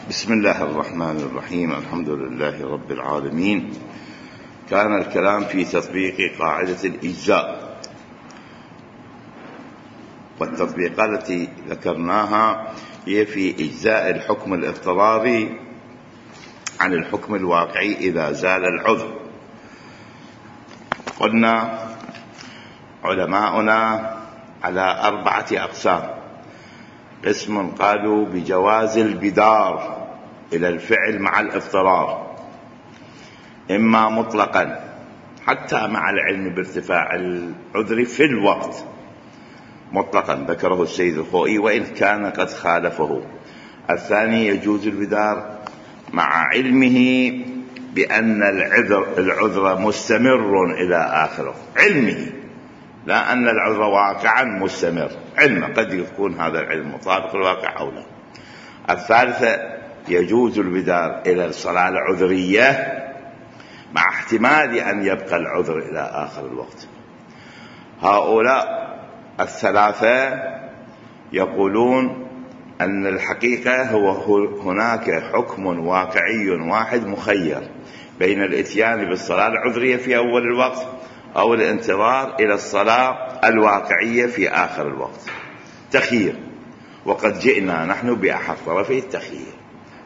بسم الله الرحمن الرحيم. الحمد لله رب العالمين. كان الكلام في تطبيق قاعدة الإجزاء، والتطبيقات التي ذكرناها هي في إجزاء الحكم الاضطراري عن الحكم الواقعي إذا زال العذر. قلنا علماؤنا على 4 أقسام: قسم قالوا بجواز البدار إلى الفعل مع الاضطرار، إما مطلقا حتى مع العلم بارتفاع العذر في الوقت، مطلقا ذكره السيد الخوئي وإن كان قد خالفه. الثاني يجوز البدار مع علمه بأن العذر مستمر إلى آخره، علمه، لا أن العذر واقعا مستمر، علم قد يكون هذا العلم مطابق الواقع أو لا. الثالثة يجوز البدار إلى الصلاة العذرية مع احتمال أن يبقى العذر إلى آخر الوقت. هؤلاء الثلاثة يقولون أن الحقيقة هناك حكم واقعي واحد مخير بين الاتيان بالصلاة العذرية في أول الوقت أو الانتظار إلى الصلاة الواقعية في آخر الوقت، تخيير، وقد جئنا نحن بأحد طرفي التخيير،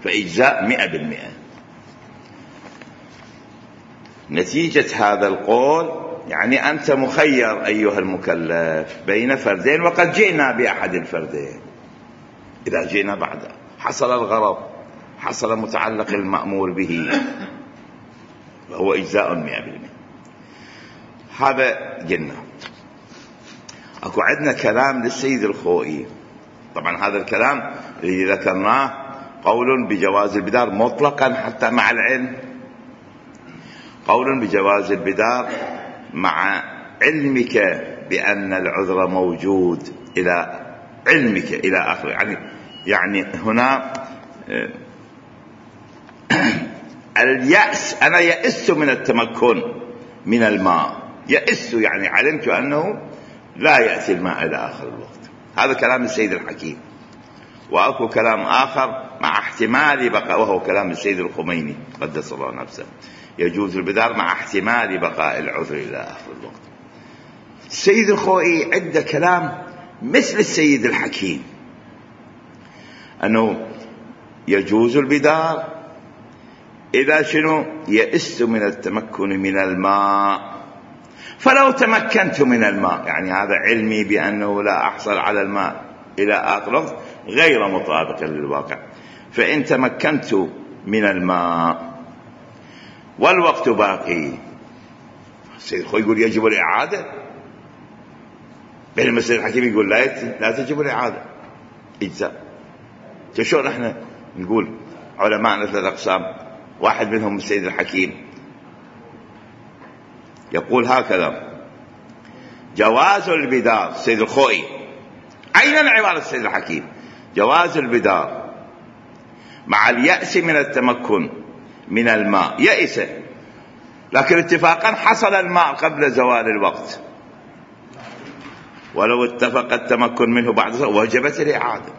فإجزاء 100%. نتيجة هذا القول يعني أنت مخير أيها المكلف بين فردين، وقد جئنا بأحد الفردين. إذا جئنا بعد حصل الغرض، حصل متعلق المأمور به، وهو إجزاء 100%. هذا قلنا. أكو عندنا كلام للسيد الخوئي. طبعا هذا الكلام الذي ذكرناه قول بجواز البدار مطلقا حتى مع العلم، قول بجواز البدار مع علمك بأن العذر موجود إلى علمك إلى آخره. يعني هنا اليأس، أنا يأست من التمكن من الماء، يأس يعني علمت أنه لا يأتي الماء إلى آخر الوقت. هذا كلام السيد الحكيم. وأكو كلام آخر مع احتمال بقاء، وهو كلام السيد الخميني قدس الله نفسه، يجوز البدار مع احتمال بقاء العذر إلى آخر الوقت. السيد الخوئي عنده كلام مثل السيد الحكيم، أنه يجوز البدار إذا شنو يئست من التمكن من الماء، فلو تمكنت من الماء، يعني هذا علمي بأنه لا أحصل على الماء إلى آخر وقت غير مطابق للواقع، فإن تمكنت من الماء والوقت باقي، السيد الخوئي يقول يجب الإعادة، بينما السيد الحكيم يقول لا تجب الإعادة، إجزاء. شلون احنا نقول علماءنا 3 أقسام، واحد منهم السيد الحكيم يقول هكذا: جواز البدار، السيد الخوئي عينا عبارة السيد الحكيم، جواز البدار مع اليأس من التمكن من الماء، يأس لكن اتفاقا حصل الماء قبل زوال الوقت، ولو اتفق التمكن منه بعد وجبت الإعادة.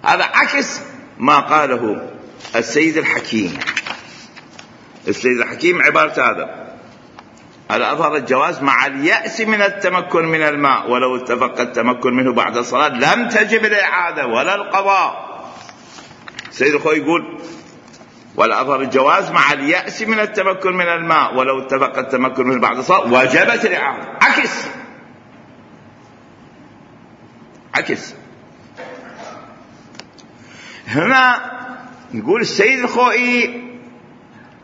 هذا عكس ما قاله السيد الحكيم. السيد الحكيم عبارة هذا أظهر الجواز مع اليأس من التمكن من الماء، ولو اتفق التمكن منه بعد الصلاة لم تجب الإعادة ولا القضاء. السيد الخوئي يقول ولا أظهر الجواز مع اليأس من التمكن من الماء، ولو اتفق التمكن منه بعد الصلاة وجبت الإعادة. عكس. هنا نقول السيد الخوئي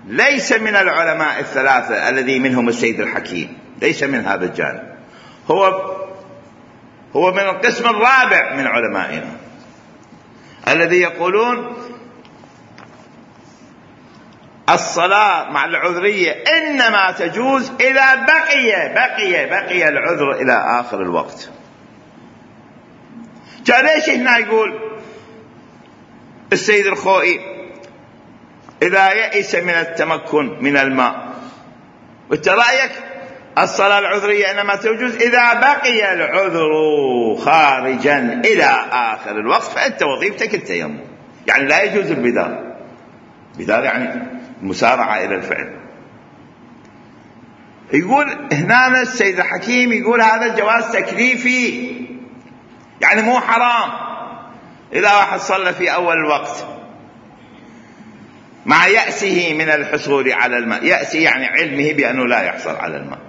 ليس من العلماء 3 الذي منهم السيد الحكيم، ليس من هذا الجانب، هو من القسم الرابع من علمائنا الذي يقولون الصلاة مع العذرية إنما تجوز إذا بقي العذر إلى آخر الوقت. ليش هنا يقول السيد الخوئي إذا يئس من التمكن من الماء، وانت رأيك الصلاة العذرية إنما تجوز إذا بقي العذر خارجا إلى آخر الوقت، فأنت وظيفتك التيمم. يعني لا يجوز البدار. بدار يعني مسارعة إلى الفعل. يقول هنا السيد الحكيم يقول هذا الجواز تكليفي، يعني مو حرام إذا واحد صلى في أول الوقت مع يأسه من الحصول على الماء. يأسه يعني علمه بأنه لا يحصل على الماء.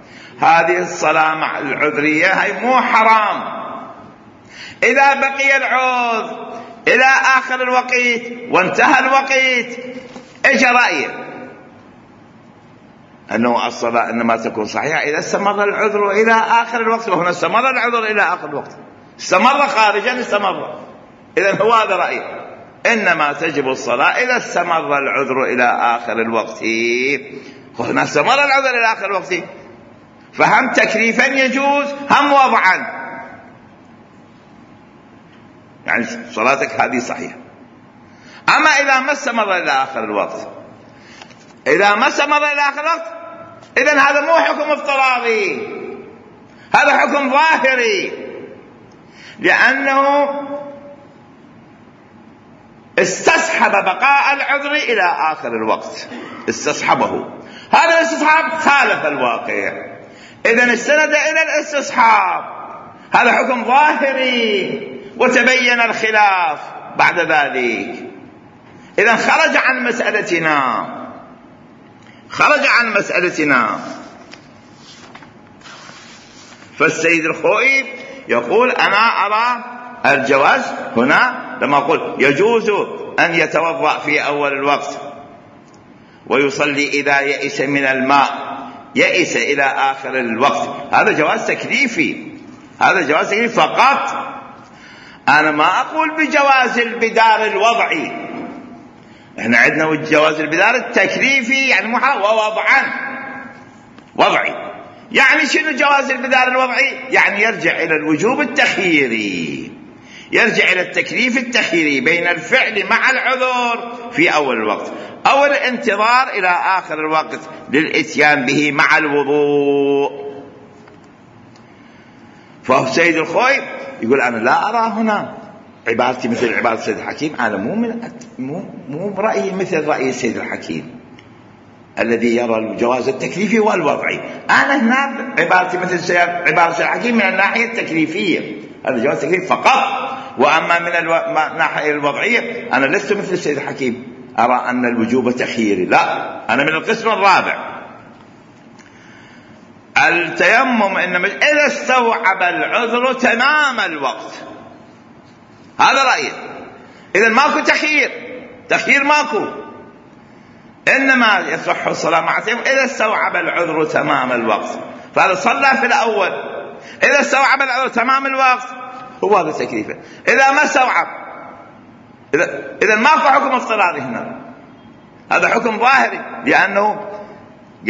هذه الصلاة مع العذرية هي مو حرام. إذا بقي العذر إلى آخر الوقت وانتهى الوقت، إيش رأيه؟ أنه الصلاة إنما تكون صحيحة إذا استمر العذر إلى آخر الوقت. وهنا استمر العذر إلى آخر الوقت، استمر خارجا استمر. إذن هو هذا رأيه، إنما تجب الصلاة إذا استمر العذر إلى آخر الوقت. وهنا استمر العذر إلى آخر الوقت، فهم تكليفا يجوز هم وضعا. يعني صلاتك هذه صحيحة. أما إذا ما استمر إلى آخر الوقت، إذا ما استمر إلى آخر الوقت، إذن هذا مو حكم افتراضي، هذا حكم ظاهري، لأنه استصحب بقاء العذر إلى آخر الوقت، استصحبه. هذا الاستصحاب خالف الواقع، إذن استند إلى الاستصحاب. هذا حكم ظاهري، وتبين الخلاف بعد ذلك. إذن خرج عن مسألتنا. فالسيد الخوئي يقول أنا أرى الجواز هنا لما أقول يجوز أن يتوضأ في أول الوقت ويصلي إذا يئس من الماء، يئس إلى آخر الوقت، هذا جواز تكليفي، هذا جواز تكليفي فقط. أنا ما أقول بجواز البدار الوضعي. احنا عندنا جواز البدار التكليفي يعني محرم، ووضعا وضعي. يعني شنو جواز البدار الوضعي؟ يعني يرجع إلى الوجوب التخييري، يرجع إلى التكليف التخييري بين الفعل مع العذر في أول الوقت أو الانتظار إلى آخر الوقت للإتيان به مع الوضوء. فهو سيد الخوئي يقول أنا لا أرى هنا عبارتي مثل عبارة السيد الحكيم، أنا مو برأيي مثل رأي السيد الحكيم الذي يرى الجواز التكليفي والوضعي. أنا هنا عبارتي مثل عبارة السيد الحكيم من الناحية التكليفية، هذا جواز تكليف فقط. وأما من الناحية الوضعية أنا لست مثل السيد الحكيم أرى أن الوجوب تخييري، لا، أنا من القسم الرابع. التيمم إنما إذا استوعب العذر تمام الوقت، هذا رأيي. إذن ماكو تخيير ماكو، إنما يصح الصلاة مع التيمم إذا استوعب العذر تمام الوقت. فهذا صلى في الأول، إذا استوعب العذر تمام الوقت هو هذا تكليفه. إذا ما استوعب، إذا ماكو حكم افتراضي هنا، هذا حكم ظاهري، لأنه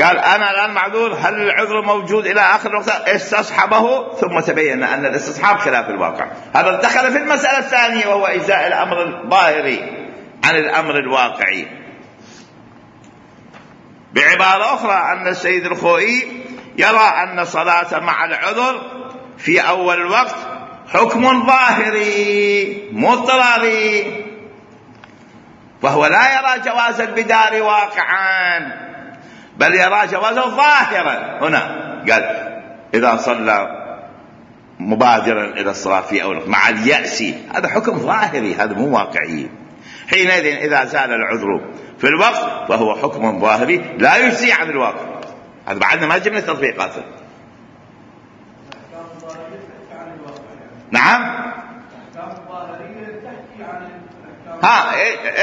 قال أنا الآن معذور، هل العذر موجود إلى آخر الوقت؟ استصحبه ثم تبين أن الاستصحاب خلاف الواقع. هذا دخل في المسألة الثانية وهو إجزاء الأمر الظاهري عن الأمر الواقعي. بعبارة أخرى أن السيد الخوئي يرى أن صلاة مع العذر في أول الوقت حكم ظاهري مضطراري، فهو لا يرى جواز البدار واقعا، بل يرى جوازه ظاهرا. هنا قال إذا صلى مبادرا إلى الصلاة في أول مع اليأس، هذا حكم ظاهري، هذا مو واقعي. حينئذ إذا زال العذر في الوقت فهو حكم ظاهري لا يجزي عن الواقع. هذا بعدنا ما جبنا تطبيقاته. نعم،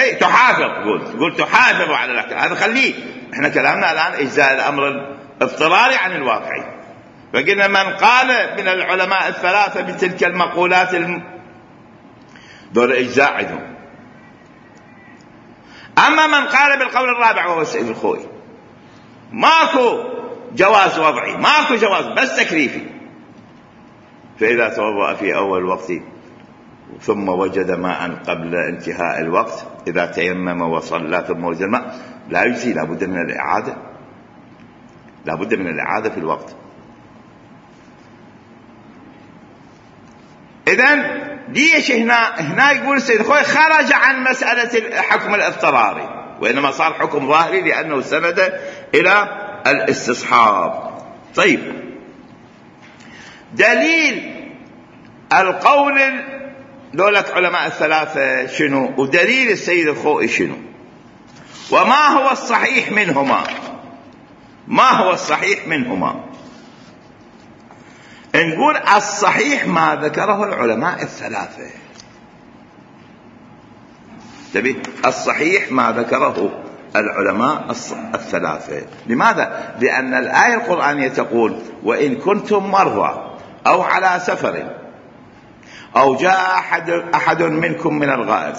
اي تحافظ، قول تحافظ على الاحكام، هذا خليه. احنا كلامنا الان اجزاء الامر الاضطراري عن الواقعي. فقلنا من قال من العلماء الثلاثه بتلك المقولات دول اجزاء عندهم. اما من قال بالقول الرابع وهو السيد الخوئي، ماكو جواز وضعي، ماكو جواز بس تكليفي. فاذا توضأ في اول وقت ثم وجد ماء قبل انتهاء الوقت، إذا تيمم وصلى ثم وجد الماء لا يجزي، لابد من الإعادة، لابد من الإعادة في الوقت. إذن ليش هنا يقول السيد الخوئي خرج عن مسألة الحكم الاضطراري، وإنما صار حكم ظاهري لأنه سند إلى الاستصحاب. طيب، دليل القول دولك علماء الثلاثة شنو، ودليل السيد الخوئي شنو، وما هو الصحيح منهما؟ ما هو الصحيح منهما؟ نقول الصحيح ما ذكره العلماء الثلاثة. تبي الصحيح ما ذكره العلماء الثلاثة. لماذا؟ لأن الآية القرآنية تقول وإن كنتم مرضى أو على سفر أو جاء أحد منكم من الغائط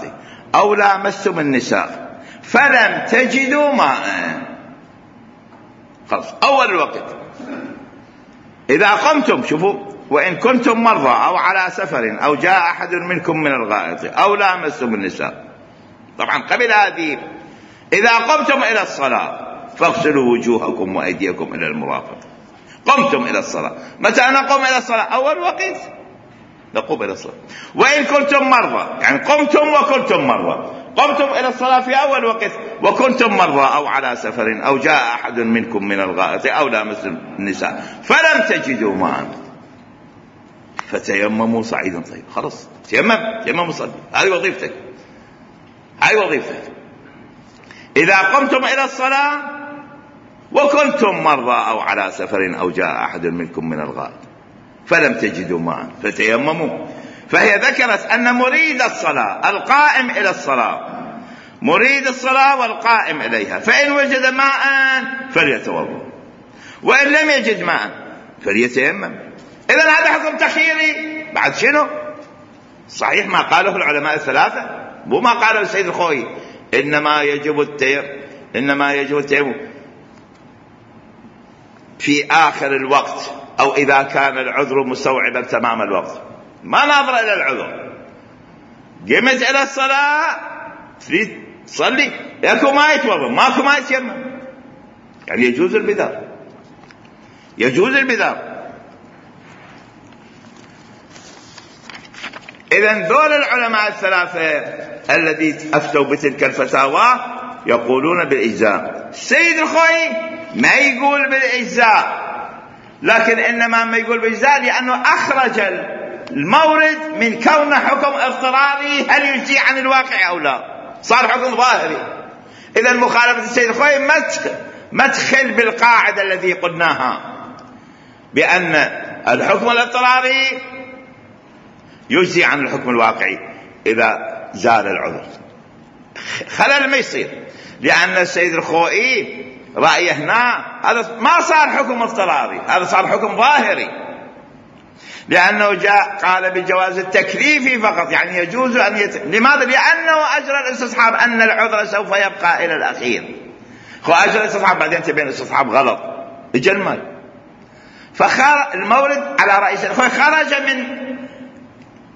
أو لامستم النساء فلم تجدوا ماء. خلاص، أول الوقت إذا قمتم، شوفوا، وإن كنتم مرضى أو على سفر أو جاء أحد منكم من الغائط أو لامستم النساء. طبعا قبل هذه إذا قمتم إلى الصلاة فاغسلوا وجوهكم وأيديكم إلى المرافق. قمتم إلى الصلاة، متى نقوم إلى الصلاة؟ أول وقت نقوم إلى الصلاة. وإن كنتم مرضى، يعني قمتم وكنتم مرضى، قمتم إلى الصلاة في أول وقت، وكنتم مرضى أو على سفر أو جاء أحد منكم من الغائط أو لامستم النساء فلم تجدوا ماء فتيمموا صعيدا طيب. خلاص، تيمم صلي، هذه وظيفتك، هذه وظيفتك. إذا قمتم إلى الصلاة وكنتم مرضى أو على سفر أو جاء أحد منكم من الغائط فلم تجدوا ماء فتيمموا. فهي ذكرت أن مريد الصلاة القائم إلى الصلاة، مريد الصلاة والقائم إليها، فإن وجد ماء فليتوضأ، وإن لم يجد ماء فليتيمم. إذن هذا حكم تخييري. بعد شنو؟ صحيح ما قاله العلماء الثلاثة، مو ما قاله السيد الخوئي. إنما يجب التيمم في آخر الوقت أو إذا كان العذر مستوعبا تمام الوقت. ما ناظر إلى العذر، قمت إلى الصلاة تريد تصلي، ياكو ما يتوضا، ماكو ما يتيمم، يعني يجوز البدار، يجوز البدار. إذن دول العلماء الثلاثة الذي أفتوا بتلك الفتاوى يقولون بالإجزاء. السيد الخوئي ما يقول بالإجزاء، لكن إنما ما يقول بالإجزاء لأنه أخرج المورد من كونه حكم اضطراري هل يجزي عن الواقع أو لا، صار حكم ظاهري. إذن مخالفة السيد الخوئي مدخل بالقاعدة التي قلناها بأن الحكم الاضطراري يجزي عن الحكم الواقعي إذا زال العذر. خلل ما يصير، لأن السيد الخوئي رأيه هنا هذا ما صار حكم اضطراري، هذا صار حكم ظاهري، لأنه جاء قال بالجواز التكليفي فقط، يعني يجوز أن لماذا؟ لأنه أجرى الاستصحاب أن العذر سوف يبقى إلى الأخير. أجرى الاستصحاب بعدين تبين الاستصحاب غلط اجل. المورد على رئيس الخوئي خرج من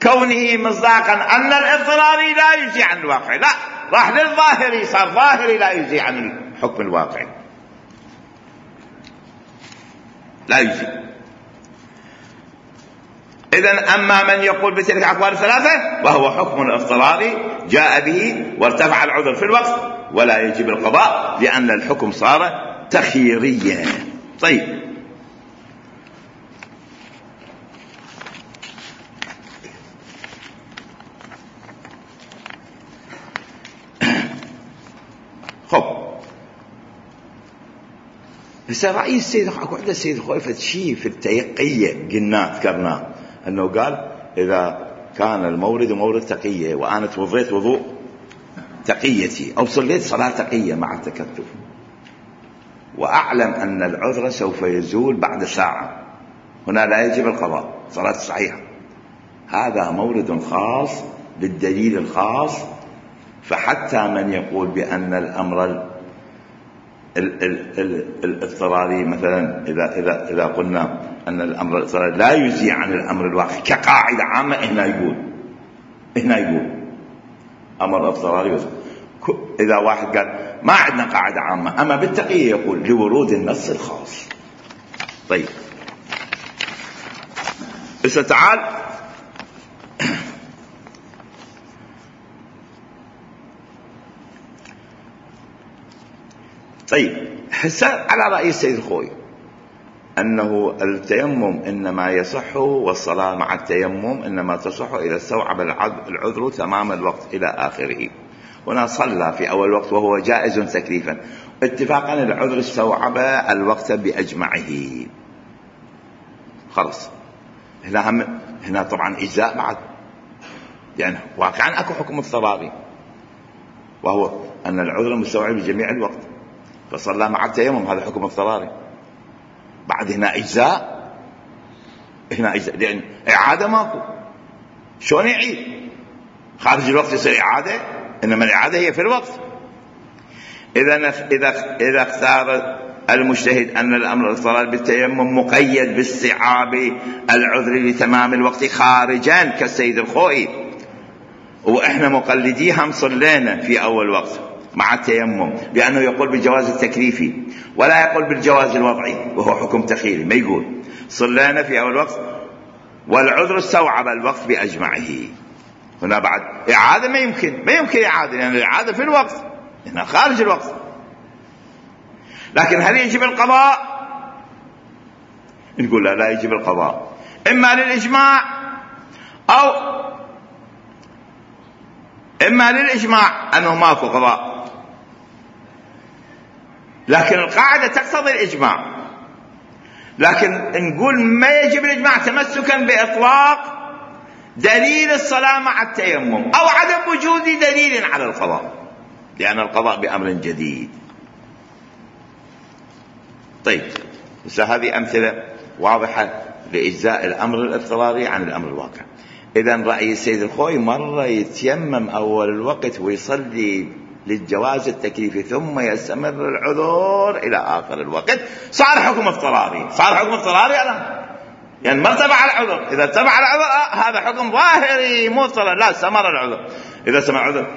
كونه مصداقا أن الاضطراري لا يجزي عن الواقع، لا، راح للظاهري، صار ظاهري لا يجزي عن الحكم الواقعي، لا يجزي. إذن أما من يقول بتلك الأقوال الثلاثة وهو حكم اضطراري جاء به وارتفع العذر في الوقت ولا يجب القضاء لأن الحكم صار تخييريا. طيب، هسه رأي السيد اكو عند السيد الخوئي شيء في التيقية قلنا ذكرناه انه قال اذا كان المورد مورد تقية وانا توضيت وضوء تقيتي او صليت صلاة تقية مع التكتف واعلم ان العذر سوف يزول بعد ساعة، هنا لا يجب القضاء، صلاة صحيحة، هذا مورد خاص بالدليل الخاص. فحتى من يقول بأن الأمر الاضطراري مثلا إذا قلنا أن الأمر الاضطراري لا يجزي عن الأمر الواقع كقاعدة عامة، هنا يقول أمر اضطراري. إذا واحد قال ما عندنا قاعدة عامة، أما بالتقية يقول لورود النص الخاص. طيب، بس تعال طيب هسه على رأي السيد الخوئي أنه التيمم إنما يصح والصلاة مع التيمم إنما تصح إذا استوعب العذر تمام الوقت إلى آخره. هنا صلى في أول وقت وهو جائز تكليفا، اتفاقا العذر استوعب الوقت بأجمعه، خلص. هنا طبعا إجزاء بعد، يعني واقعا أكو حكم اضطراري وهو أن العذر مستوعب بجميع الوقت، فصلى مع التيمم، هذا حكم اضطراري. بعد هنا إجزاء، لأن إعادة ماكو، شلون يعيد؟ خارج الوقت يصير إعادة، إنما الإعادة هي في الوقت. إذا اختار المجتهد أن الأمر الاضطرار بالتيمم مقيد باستيعاب العذر لتمام الوقت خارجا كالسيد الخوئي، وإحنا مقلديهم صلينا في أول وقت مع التيمم، لأنه يقول بالجواز التكليفي ولا يقول بالجواز الوضعي وهو حكم تخيلي، ما يقول صلينا في أول وقت والعذر استوعب الوقت بأجمعه. هنا بعد إعادة ما يمكن إعادة، لأن الإعادة في الوقت، هنا خارج الوقت. لكن هل يجب القضاء؟ نقول لا يجب القضاء، إما للإجماع إما للإجماع أنه ماكو قضاء، لكن القاعدة تقتضي الإجماع. لكن نقول ما يجب الإجماع تمسكا بإطلاق دليل الصلاة مع التيمم أو عدم وجود دليل على القضاء، لأن القضاء بأمر جديد. طيب هذه أمثلة واضحة لإجزاء الأمر الاضطراري عن الأمر الواقع. إذن رأي السيد الخوئي مرة يتيمم أول الوقت ويصلي للجواز التكليفي ثم يستمر العذر إلى آخر الوقت، صار حكم اضطراري الآن، يعني ما اتبع العذر. إذا اتبع العذر هذا حكم ظاهري مو اضطراري، لا استمر العذر. إذا استمر العذر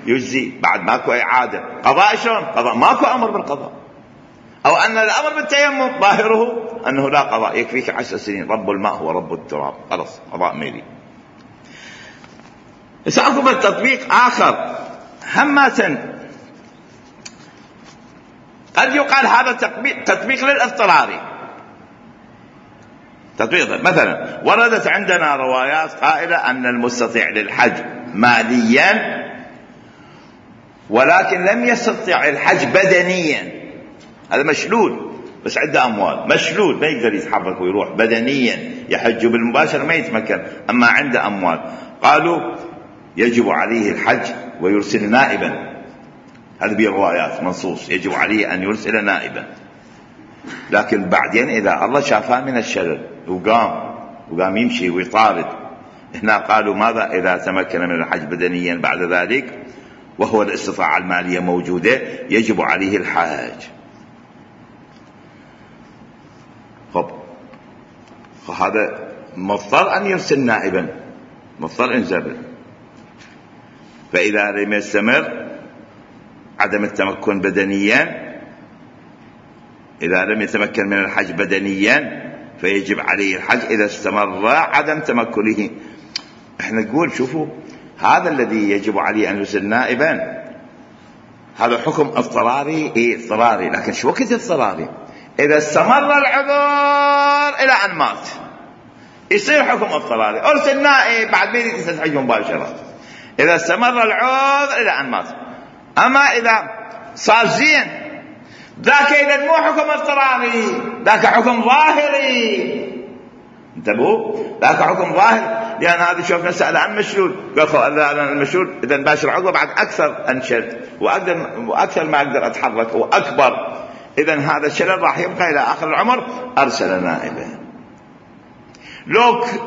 يجزي، بعد ماكو إعادة. قضاء شلون؟ قضاء ماكو أمر بالقضاء، أو أن الأمر بالتيمم ظاهره أنه لا قضاء، يكفيك 10 سنين، رب الماء هو رب التراب، خلص قضاء ميلي. سأقوم تطبيق آخر همة، قد يقال هذا تطبيق للاضطراري. تطبيق مثلا وردت عندنا روايات قائلة أن المستطيع للحج ماليا ولكن لم يستطع الحج بدنيا، هذا مشلول بس عنده أموال، مشلول ما يقدر يتحرك ويروح بدنيا، يحج بالمباشر ما يتمكن، أما عنده أموال. قالوا يجب عليه الحج ويرسل نائبا، هذا بالروايات منصوص يجب عليه أن يرسل نائبا. لكن بعدين إذا الله شافاه من الشلل وقام يمشي ويطارد، هنا قالوا ماذا إذا تمكن من الحج بدنيا بعد ذلك وهو الاستطاعة المالية موجودة، يجب عليه الحج. هذا مضطر أن يرسل نائبا، مضطر انزبل. فإذا لم يستمر عدم التمكن بدنيا، إذا لم يتمكن من الحج بدنيا فيجب عليه الحج إذا استمر عدم تمكنه. احنا نقول شوفوا هذا الذي يجب عليه أن يرسل نائبا هذا حكم اضطراري، اضطراري، لكن شو وقت اضطراري؟ إذا استمر العذر إلى أن مات يصير حكم اضطراري، أرسل نائب بعد ما يستحج مباشرة إذا استمر العذر إلى أن مات. أما إذا صار زين ذاك إذا مو حكم اضطراري، ذاك حكم ظاهري. انتبهوا، ذاك حكم ظاهر، لأن هذا شوف نسأل عن مشلول، قال المشلول إذا باشر عقبه بعد أكثر أنشل وأكثر ما أقدر أتحرك وأكبر، إذا هذا الشلل راح يبقى إلى آخر العمر، أرسل نائبا.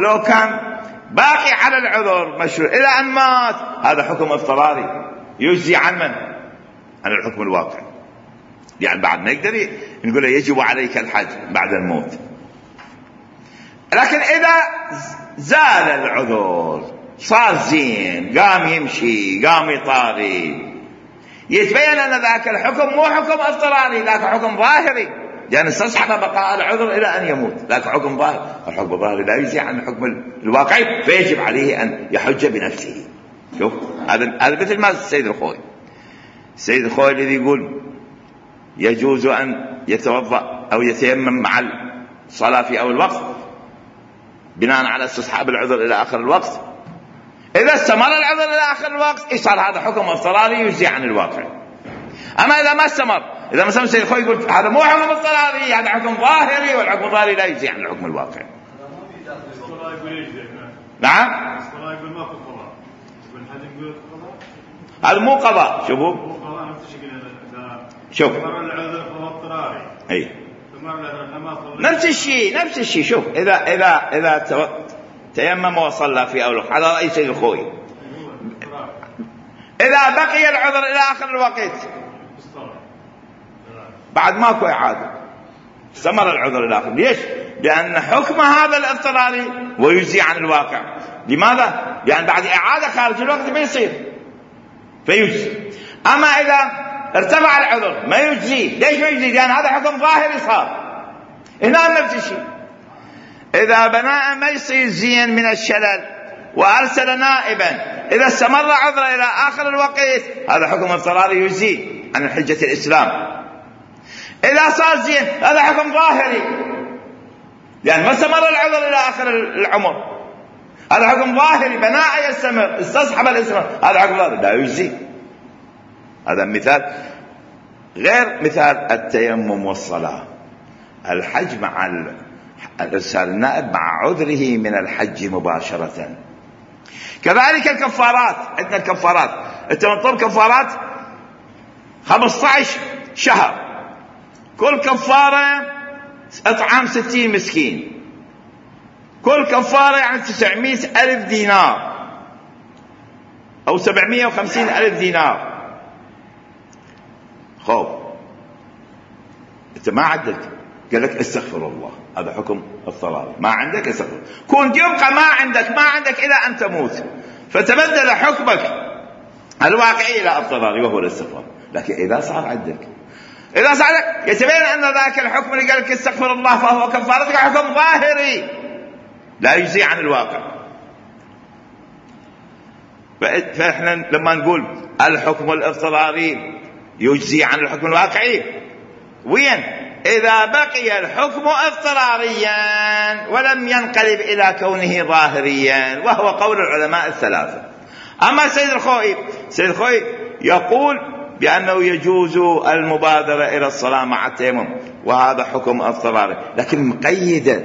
لو كان باقي على العذر مشلول إلى أن مات، هذا حكم اضطراري يجزي عن من؟ عن الحكم الواقع، يعني بعد ما يقدر نقول يجب عليك الحج بعد الموت. لكن إذا زال العذر صار زين، قام يمشي قام يطاري، يتبين أن ذاك الحكم مو حكم اضطراري، ذاك حكم ظاهري، يعني استصحب بقاء العذر إلى أن يموت، ذاك حكم ظاهر. الحكم الظاهري لا يجزي عن الحكم الواقعي، فيجب عليه أن يحج بنفسه. شوف هذا مثل ما السيد الخوئي الذي يقول يجوز أن يتوضأ أو يتيمم مع الصلاة في أول الوقت بناء على استصحاب العذر إلى آخر الوقت. إذا استمر العذر إلى آخر الوقت صار هذا حكم اضطراري يجزي عن الواقع. أما إذا ما استمر، إذا مثلا السيد الخوي يقول هذا مو حكم اضطراري، هذا حكم ظاهري، والحكم الظاهري لا يجزي عن الحكم الواقع. نعم، هذا مو قضاء. شوفوا شوف اي نفس الشيء. شوف اذا تيمم وصلى في اول وقت على رأي سيد الخوي، اذا بقي العذر الى اخر الوقت بعد ماكو اعاده، استمر العذر الى اخر. ليش؟ لان حكم هذا الاضطراري ويجزي عن الواقع. لماذا؟ لان بعد اعاده خارج الوقت ما يصير فيجزي. اما اذا ارتفع العذر ما يجزي. ليش ما يجزي؟ لان هذا حكم ظاهري صار. هنا نفس الشيء، اذا بناء ما يصير زين من الشلل وارسل نائبا، اذا استمر عذره الى اخر الوقت هذا حكم اضطراري يجزي عن حجة الاسلام. اذا صار زين هذا حكم ظاهري لان ما استمر العذر الى اخر العمر، هذا حكم ظاهري بناء يستمر، استصحب الاستمرار، هذا حكم ظاهري لا يجزي. هذا مثال غير مثال التيمم والصلاة. الحج مع ارسال النائب مع عذره من الحج مباشرة. كذلك الكفارات، عندنا الكفارات، انت مطلوب كفارات 15 شهر، كل كفارة اطعام 60 مسكين، كل كفارة يعني 900,000 دينار او 750,000 دينار. خوف انت ما عندك، قال لك استغفر الله، هذا حكم اضطراري، ما عندك استغفر، كنت يبقى ما عندك الى ان تموت، فتبدل حكمك الواقعي الى اضطراري وهو الاستغفار. لكن اذا صار عندك يتبين ان ذاك الحكم اللي قال لك استغفر الله فهو كفارتك حكم ظاهري لا يجزي عن الواقع. فاحنا لما نقول الحكم الاضطراري يجزي عن الحكم الواقعي، وين؟ إذا بقي الحكم اضطراريا ولم ينقلب إلى كونه ظاهريا، وهو قول العلماء الثلاثة. أما سيد الخوي يقول بأنه يجوز المبادرة إلى الصلاة مع التيمم، وهذا حكم اضطراري لكن مقيدة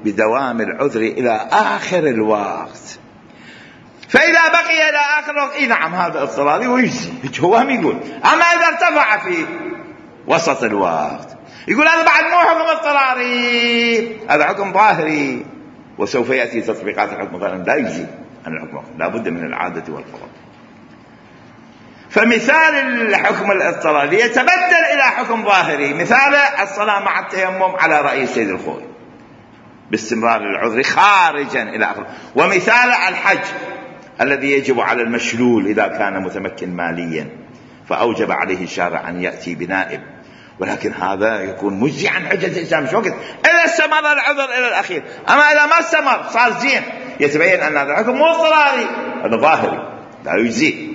بدوام العذر إلى آخر الوقت. فإذا بقي إلى آخر الوقت نعم هذا اضطراري ويجزي، هو هم يقول. أما إذا ارتفع في وسط الوقت يقول هذا بعد مو حكم اضطراري، هذا حكم ظاهري، وسوف يأتي تطبيقات الحكم الظاهري لا يجزي عن الحكم، لا بد من العادة والفرض. فمثال الحكم الاضطراري يتبدل إلى حكم ظاهري، مثال الصلاة مع التيمم على رأي السيد الخوي باستمرار العذر خارجا إلى آخره. ومثال الحج الذي يجب على المشلول إذا كان متمكن ماليا فأوجب عليه الشارع أن يأتي بنائب، ولكن هذا يكون مجزي عن حجة الإسلام. شو وقت؟ إذا استمر العذر إلى الأخير. أما إذا ما استمر صار زين، يتبين أن هذا الحكم مو اضطراري، هذا ظاهري لا يجزي.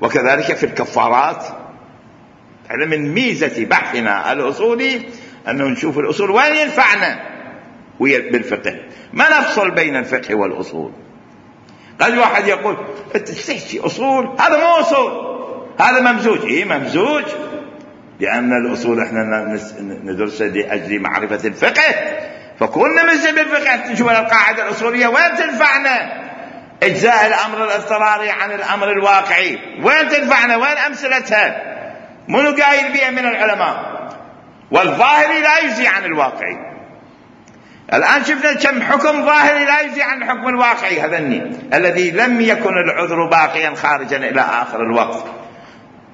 وكذلك في الكفارات، من ميزة بحثنا الأصولي أنه نشوف الأصول وين ينفعنا بالفقه، ما نفصل بين الفقه والأصول. قد واحد يقول تستحكي أصول، هذا مو أصول، هذا ممزوج. ممزوج لأن الأصول احنا ندرسها لأجل معرفة الفقه، فكنا نمزج بالفقه نشوف القاعدة الأصولية وين تنفعنا. إجزاء الأمر الاضطراري عن الأمر الواقعي وين تنفعنا، وين أمثلتها، منو قايل بها من العلماء. والظاهري لا يجزي عن الواقعي. الآن شفنا كم حكم ظاهري لا يجزي عن الحكم الواقعي، هذا الذي لم يكن العذر باقيا خارجا إلى آخر الوقت،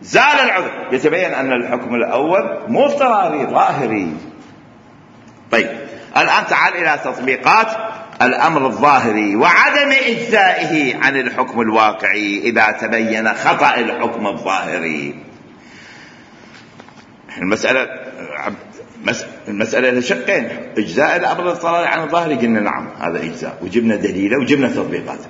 زال العذر، يتبين أن الحكم الأول مو اضطراري ظاهري. طيب الآن تعال إلى تطبيقات الأمر الظاهري وعدم إجزائه عن الحكم الواقعي إذا تبين خطأ الحكم الظاهري. المسألة لشقين، إجزاء الأمر الاضطراري عن الظاهري قلنا نعم هذا إجزاء، وجبنا دليله وجبنا تطبيقاته.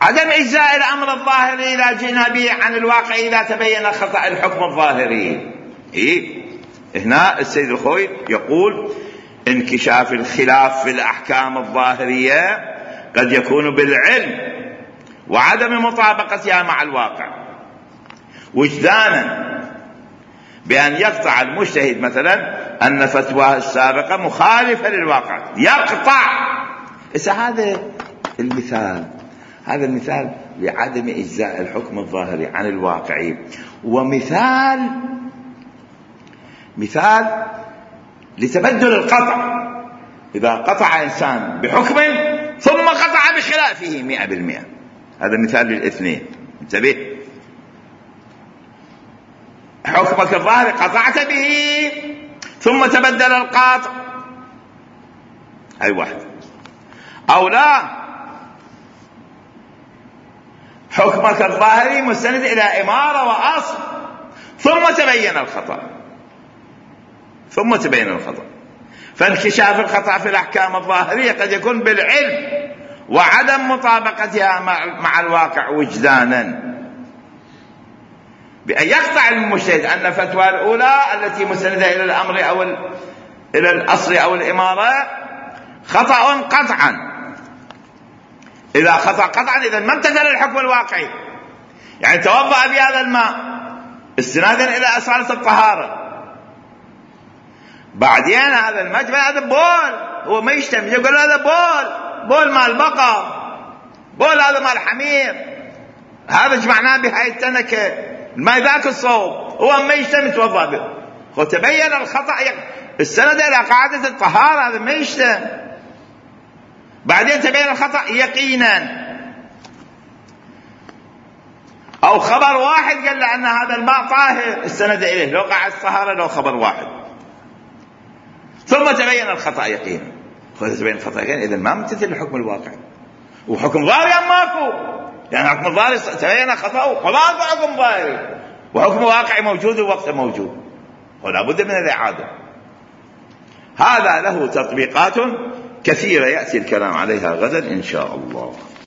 عدم إجزاء الأمر الظاهري إذا جئنا به عن الواقع إذا تبين خطأ الحكم الظاهري. هنا السيد الخوي يقول انكشاف الخلاف في الأحكام الظاهرية قد يكون بالعلم وعدم مطابقتها مع الواقع وجدانا، بأن يقطع المجتهد مثلا أن فتواه السابقة مخالفة للواقع، يقطع. هذا المثال لعدم إجزاء الحكم الظاهري عن الواقع، ومثال لتبدل القطع. إذا قطع إنسان بحكم ثم قطع بخلافه 100%، هذا مثال للاثنين. انتبه، حكمك الظاهري قطعت به ثم تبدل القاطع، أي واحد. أو لا، حكمك الظاهري مستند إلى إمارة وأصل ثم تبين الخطأ. فانكشاف الخطأ في الأحكام الظاهرية قد يكون بالعلم وعدم مطابقتها مع الواقع وجدانا، بأن يقطع المجتهد أن فتوى الأولى التي مستندة إلى الأمر أو إلى الأصل أو الإمارة خطأ قطعا. إذا خطأ قطعا إذا ما امتثل الحكم الواقعي، يعني توضأ بهذا الماء استنادا إلى أصالة الطهارة، بعدين هذا الماء هذا بول، هو ما يشتم، يقول هذا بول مال بقر، بول هذا مال حمير، هذا جمعناه بهاي التنكة ما ذاك الصوب، هو ما يشتم يتوضأ به. وتبين الخطأ السند إلى قاعدة الطهارة، هذا ما يشتم، بعدين تبين الخطأ يقينا. أو خبر واحد قال له أن هذا الماء طاهر السند إليه، لو قاعدة الطهارة لو خبر واحد، ثم تبين الخطأ يقينا. تبين الخطأ يقينا إذا ما امتثل الحكم الواقعي، وحكم ظاهري ماكو، يعني حكم ظاهري تبين خطأه خلاص، حكم ظاهري وحكم واقعي موجود ووقت موجود، ولا بد من الإعادة. هذا له تطبيقات كثيرة يأتي الكلام عليها غدا إن شاء الله.